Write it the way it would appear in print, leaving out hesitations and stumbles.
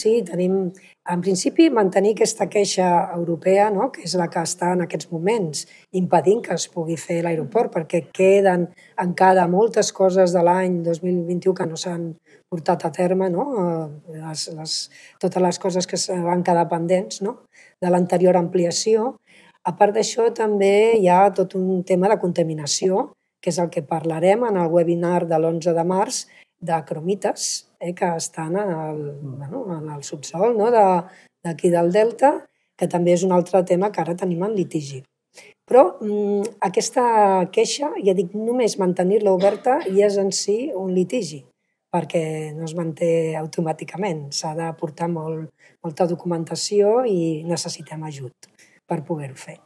Sí, tenim, en principi, mantenir aquesta queixa europea, no?, que és la que està en aquests moments impedint que es pugui fer l'aeroport, perquè queden encara moltes coses de l'any 2021 que no s'han portat a terme, no?, totes les coses que van quedar pendents, no?, de l'anterior ampliació. A part d'això, també hi ha tot un tema de contaminació, que és el que parlarem en el webinar de l'11 de març, de cromites, que estan en el subsòl, no?, d'aquí del Delta, que també és un altre tema que ara tenim en litigi. Però aquesta queixa, ja dic, només mantenir-la oberta ja és en si un litigi, perquè no es manté automàticament. S'ha de portar molta documentació i necessitem ajut per poder-ho fer.